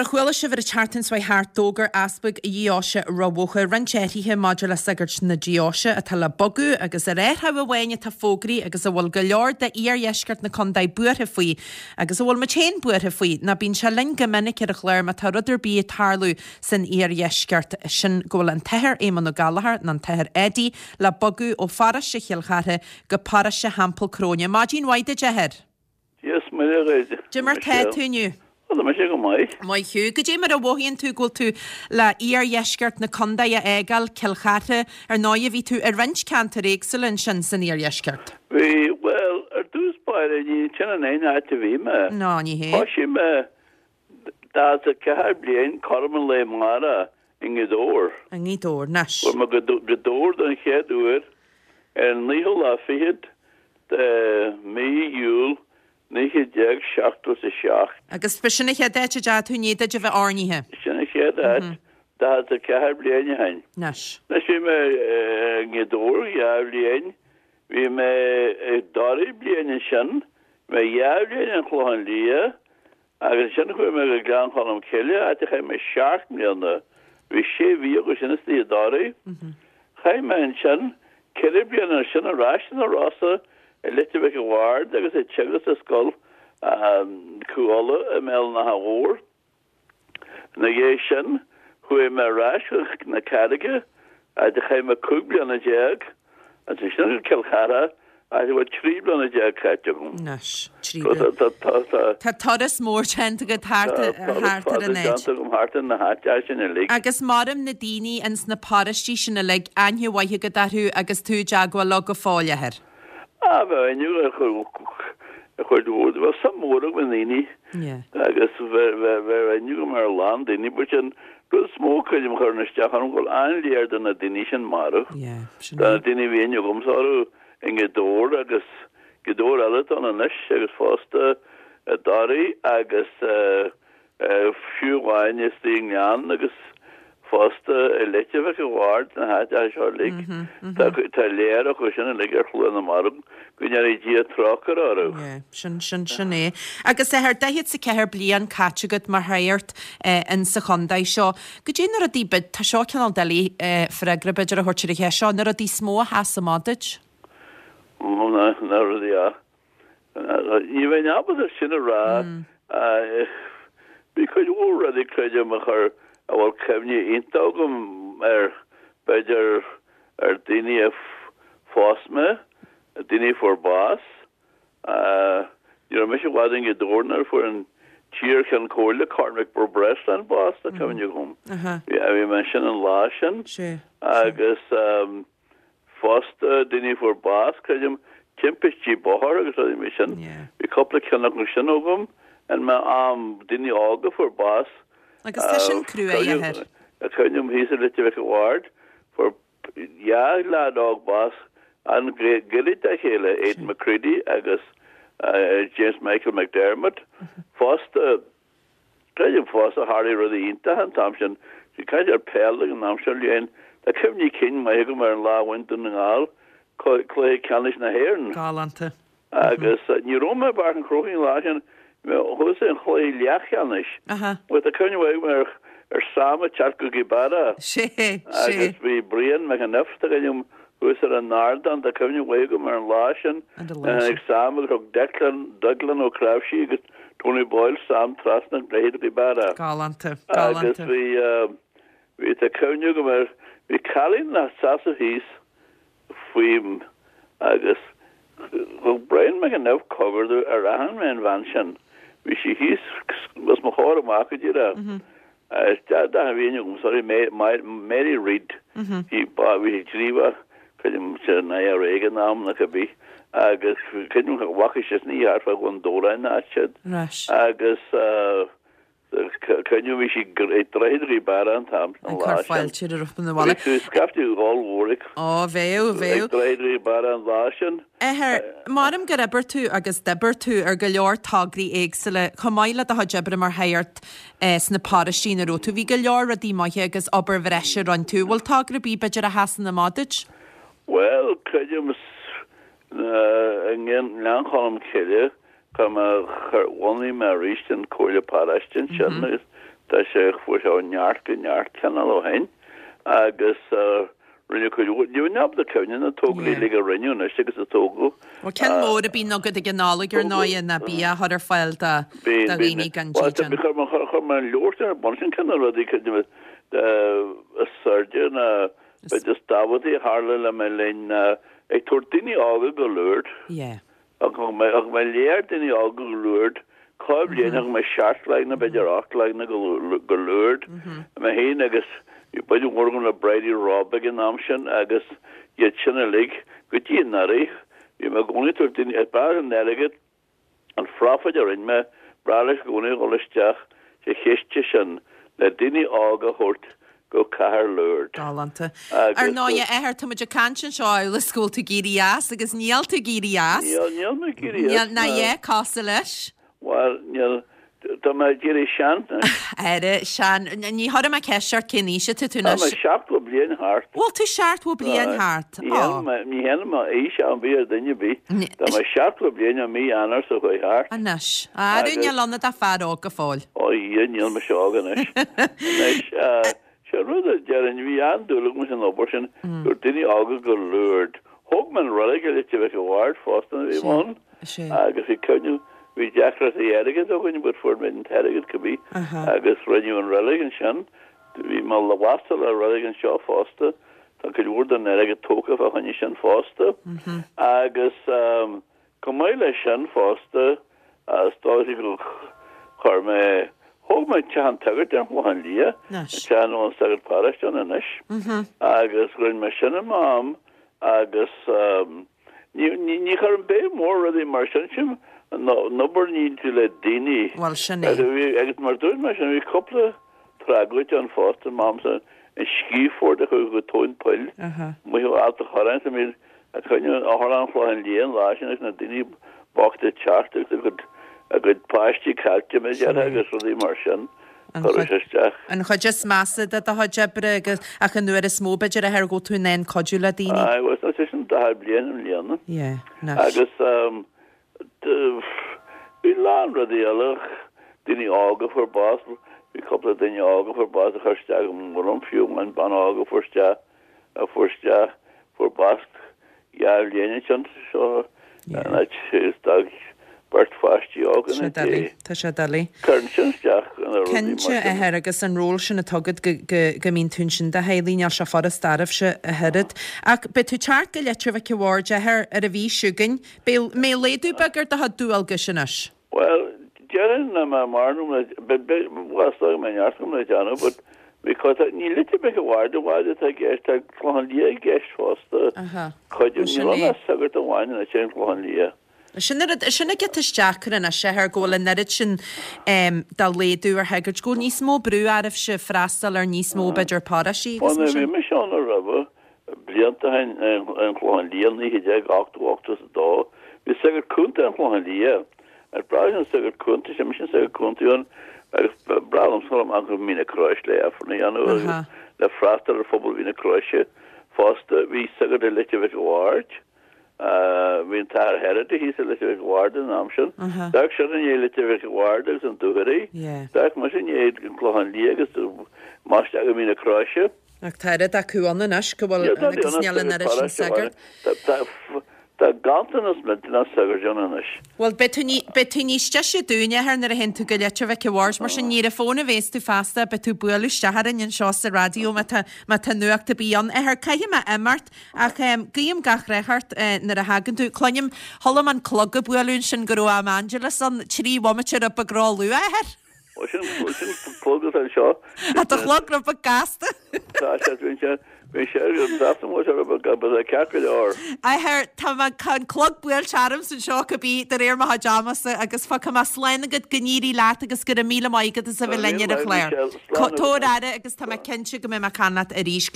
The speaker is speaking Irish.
Mar a chuala sibh ar an tseachtain seo thart, d'fhógair Easpag Dheoise Ráth Bhoth roinnt athruithe maidir le sagairt na deoise atá le bogadh agus ar athrú amháin atá fógraithe agus a bhfuil go leor de iardheisceart na contae buartha faoi agus a bhfuil muid féin buartha faoi ná bíonn sé linn go minic ar an chlár má tá rud ar bith ag tarlú san iardheisceart sin go bhfuil an tAthair Éamonn Ó Gallchóir nó an tAthair Eddie le bogadh ó pharóiste Chill Chartha go paróiste Theampall Cróine. Maidin mhaith duit, a Athair. Dia is Muire dhuit. Cad é mar tá tú inniu? Ó, tá mise go maith. Maith thú. Goidé mar a mhothaíonn tú go bhfuil tú le iardheisceart na contae a fhágáil, Cill Chartha, ar ndóighe bhí tú i roinnt ceantar éagsúla ansin san iardheisceart. Bhí, bhuel, ar dtús báire, ní sin an aon áit a bhí mé. Ná, ní hé. Thoisigh mé 44 bliain cothrom an lae amárach i nGaoth Dobhair. I nGaoth Dobhair, anois. Chuaigh mé go Gaoth Dobhair don chéad uair ar an naoú lá fichead de mhí Iúil 1977. Agus b'shin an chéad áit a dteachaigh tú i ndiaidh duit a bheith oirnithe? Sin an chéad áit, 44 bliain ó shin. Anois. Anois bhí mé i nGaoth Dobhair dhá bhliain, bhí mé i dToraigh bliain ansin, bhí mé dhá bhliain an Chlochán Liath, Agus ansin chuaigh mé go Gleann Cholm Cille, áit a chaith mé seacht mbliana. Bhí sé mhí acu sin istigh i dToraigh. Chaith mé ansin ceithre bliana ansin ar ais sna Rosa i Leitir Mhic an Bhaird agus ag teagasc i scoil Cú Uladh i mBéal an Átha Mhóir. Ina dhiaidh sin chuaigh mé ar ais chun na Carraige, áit a chaith mé 15 bliana. Ansin go Cill Chartha, áit a bhfuil 13 bliana caite agam. Anois, trí bliana. Tá turas mór déanta agat thart ar an áit. Déanta agam thart ar na háiteacha sin uilig. Agus maram na daoine ins na paróistí sin uilig, aithne mhaith agat orthu agus tú i dteagmháil leo go fóill, a Athair. Ah, bheadh aithne ar chuid mhór, bheadh suim mhór agam i ndaoine agus bheadh aithne agam ar a lán daoine, but an rud is mó creidim a chuireann isteach orm go bhfuil an-léar de na daoine sin marbh. De na daoine a bhí aithne agamsa orthu i nGaoth Dobhair agus Gaoth Dobhair eile atá ann anois agus fosta i dToraigh agus Fiú amháin istigh i nGleann agus fosta i Leitir Mhic an Bhaird, na háiteacha seo uilig, tá léar acu sin uilig ar shlua na marbh, go ndéanfaidh Dia trócaire orthu. Yeah, sin, sin, sin é. Agus a Athair, 44 bliain caite agat mar shagart in sa chontae seo. Goidé na rudaí, tá seo cineál doiligh freagra b'fhéidir a thabhairt ar an cheist seo, na rudaí is mó a sheas amach duit? Ó, na rudaí a. Ní bheinn ábalta sin a rá. Bhí cuid mhór rudaí, creidim, a chuir, a bhfuil cuimhne iontach agam air, b'fhéidir ar daoine a phós mé, daoine a fuair bás. Ní raibh mise i bhfad i nGaoth Dobhair nuair a fuair an t-iar-Cheann Comhairle, Cormac Breslin, bás, tá cuimhne agam. Bhí mé ansin an lá sin agus. Fosta, daoine a fuair bás, creidim, timpistí bóthair agus rudaí mar sin. Bhí cúpla ceann acu sin agam in m'am, daoine óga a fuair bás. Agus tá sin cruaidh, a Athair. Cuimhním thíos i Leitir Mhic an Bhaird, fuair dhá leaid óg bás an-ghairid dá chéile, Aidan McCready agus James Michael McDermott. Fosta, Creidim fosta, tharlaigh rudaí iontacha an t-am sin. Bhí caint ar peil ag an am seo bliain. Tá cuimhní cinn maith agam ar an lá a bhain Dún na nGall cluiche ceannais na hÉireann. Galánta. Agus ní raibh mé i bPáirc an Chrócaigh an lá sin, chuas ar an chluiche leathcheannais. Ach tá cuimhne mhaith agam ar ar Sam ag teacht go Gaoth Beara. Sé, sé. Agus bhí Brian McEniff, tá cuimhne agam, thuas ar an ardán, tá cuimhne mhaith agam ar an lá sin. Tháinig Sam agus thug Declan, Declan Ó Cnáimhsí agus Tony Boyle Sam trasna an droichid Ghaoth Beara. Galánta, galánta. Agus bhí, bhí, tá cuimhne agam ar, bhí cailín ina seasamh thíos faoim agus thug Brian McEniff cogar domh ar aithin mé an bhean sin. Bhí sí thíos os mo chomhair amach go díreach. D'aithin bhí aithne agam, sorry, Mary Reid. Bhí bhí sí gníomhach, creidim san IRA ag an am nó cibé, agus creidim go bhfaca sí san oíche thart fá Dhún Dobhráin áit siad. Agus creidim bhí sí ag droichead Ghaoth Beara an t-am an lá sin. Ag cur fáilte roimh na bhaile. Bhí tú scaifte ollmhór ag Ó, bheadh, bheadh. Ag droichead Ghaoth Beara an lá sin. Athair, Maram gur oibir tú agus d'oibir tú ar go leor tograí éagsúla, chomh maith le do chuid oibre mar shagart sna paróistí ina raibh tú. Bhí go leor rudaí maithe agus obair bhreise a rinne tú. Bhfuil togra ar bith b'fhéidir a sheasann amach duit? Bhuel, creidim i nGleann Cholm Cille, chuir mé, bhunaigh mé arís an Comhairle Paróiste ansin agus. Tá sé, fuair sé ó neart go neart cineál ó shin agus rinneadh cuid mhór, níl mé ábalta cuimhneamh na tograí uilig a rinneadh anois agus a tógadh. Bhuel ceann mór a bíonn agat ag an Nollaig ar ndóighe ná bia a chur ar fáil do dhaoine gan dídean. Chuir mé an leabhar sin ar bun, sin ceann de na rudaí is airde ná b'fhéidir is tábhachtaí a tharla le mo linn ná ag tabhairt daoine óga go Lourdes. Thug mé thug mé lear daoine óga go Lourdes, chuile bhliain thug mé seacht leaideanna b'fhéidir ocht leaideanna go go Lourdes. Mé féin agus bhí baint mhór agam le Bridie Robb ag an am sin agus iad sin uilig go dtí anuraidh. Bhí mé i gcónaí ag tabhairt daoine, is breá an airgead, an phroifid a rinne mé, breá leis i gcónaí a dhul isteach sa chiste sin le daoine óga a thabhairt go cathair Lourdes. Galánta. Ar ndóigh, a Athair, tá muid ag caint anseo amhail is go bhfuil tú ag éirí as agus níl tú ag éirí as. Níl, níl mé ag éirí as. Níl, ná é cosúil leis. Bhuel, níl, tá mé ag éirí sean anois. Éirí sean. Ní chuirfidh mé ceist ort cén aois atá tú anois. Tá mé 70 bliain thart. Bhfuil tú 70 bliain thart? Ní dhéanfaidh mé aois ar bith ar dhuine ar bith. Tá mé 70 bliain i mí Eanáir seo chuaigh thart. Anois. Arú níl ionat ach fear óg go fóill. Ó Dhia, níl mise óg anois. Anois, sé an rud a déarfainn, bhí an-dúil agam san obair sin, go raibh daoine óga go Lourdes. Thóg mé an reilig i Leitir Mhic a' Bhaird fosta nuair a bhí mé ann agus bhí cuimhneamh, bhí deacrachtaí airgid againn but fuair mé an t-airgead cibé agus rinneadh an reilig ansin. Bhí mé lasta le reilig anseo fosta, tá cuid mhór den airgead tógtha fá choinne sin fosta. Agus chomh maith leis sin fosta, is dóiche go chuir mé, thóg mé teach an tsagairt ar an Chlochán Liath, an teach a bhfuil an sagart paróiste ann anois, agus rinne mé sin i m'am agus ní, ní, ní chuirim béim mhór rudaí mar sin, sin an obair a níonn tú le daoine. Bhuel, sin é. Agus mar dúirt mé sin, bhí cúpla tragóid ann fosta, m'amsa, an scíford a chuaigh go tóin poill, amuigh ó Ailt a' Chorráin, sa mír a coinneadh in Otharlann an Chlocháin Liath an lá sin agus na daoine bochta ag teacht agus a gcuid a gcuid páistí caillte mar a déarfá agus rudaí mar sin chuir sé isteach. An chuid is measa de do chuid oibre agus ach an uair is mó b'fhéidir a athair go bhfuil tú in ann cuidiú le daoine. Aye, bhuel tá sé sin 40 bliain i mbliana. Yeah, anois. Agus bhí a lán rudaí eile, daoine óga a fuair bás, bhí cúpla duine óga a fuair bás a chuir isteach go mór orm fiú amháin bean óg a fuair isteach a fuair isteach, fuair bás dhá bhliain ansin seo an áit is d'fhág beirt pháistí óga ina diaidh. Tá sé doiligh. Cuireann sin isteach ina rudaí mar sin. Cinnte, a athair, agus an ról sin atá agat go go mbíonn tú ansin do theaghlaigh, níl sé furast oraibhse ach oiread. Ach beidh tú ag teacht go Leitir Mhic a' Bhaird, a athair, ar an mhí seo chugainn. Beidh mbeidh laghdú beag ar do chuid dualgais anois. Bhuel, déarfainn nach mbeadh mórán agam le, bhuel, is dóigh go mbeidh neart agam le déanamh, but because ní Leitir Mhic a' Bhaird amháin atá i gceist, tá Clochán Liath i gceist fosta. Aha. Cuid, níl ann ach sagart amháin anois ar an Chlochán Liath. Sin an rud, sin an giota is deacra anois, a athair, go bhfuil an oiread sin de laghdú ar shagairt, go bhfuil níos mó brú oraibhse freastal ar níos mó, b'fhéidir, paróistí agus mar sin. Bhuel, bhí mise ann roimhe, Blianta ó shin ar an Chlochán Liath, 1980, 82, bhí sagart cúnta ar an Chlochán Liath. Is breá leis an sagart cúnta sin, mise an sagart cúnta ann, agus ba bhreá liomsa dul amach go Mín na Croise le Aifreann a dhéanamh agus le freastal ar phobal Mhín na Croise fosta. Bhí sagart i Leitir Mhic a' Bhaird. Bhí an tAthair Herity thíos i Leitir Mhic a' Bhaird an am sin. D'amharc seisean i ndiaidh Leitir Mhic a' Bhaird agus an Dúchoraidh. D'amharc mise i ndiaidh an Clochán Liath agus amach isteach go Mín na Croise. Ach tá oiread acu ann anois go bhfuil agus níl an oiread sin sagart. Tá ganntanas millteanach sagart ann anois. Bhuel, beidh tú ní, beidh tú níos deise dúinn, a athair, nuair a théann tú go Leitir Mhic a' Bhaird, mar sin ní ar an bhfón a bhéas tú feasta, beidh tú ag bualadh isteach orainn anseo sa raidió má tá, má tá nuacht ar bith ann. A athair, caithfidh mé imeacht, ach guím gach rath ort nuair a thagann tú. Cluinim, chuala mé an clog ag bualadh ansin go raibh am Angelus ann, trí bhomaite rud beag róluath, a athair. Ó sin, sin clog atá anseo. Tá do chlog rud beag gasta. Tá sé, bíonn sé, bíonn sé ar an trasna mo sé rud beag but é ceart go leor. A athair, tá mé, tá an clog buailte ormsa anseo cibé de réir mo chuid amasa agus fágfaidh mé slán agat go n-éirí leat agus go raibh míle maith agat as a bheith linn ar an chlár. Tabhair aire agus tá mé cinnte go mbeidh mé ag caint leat arís.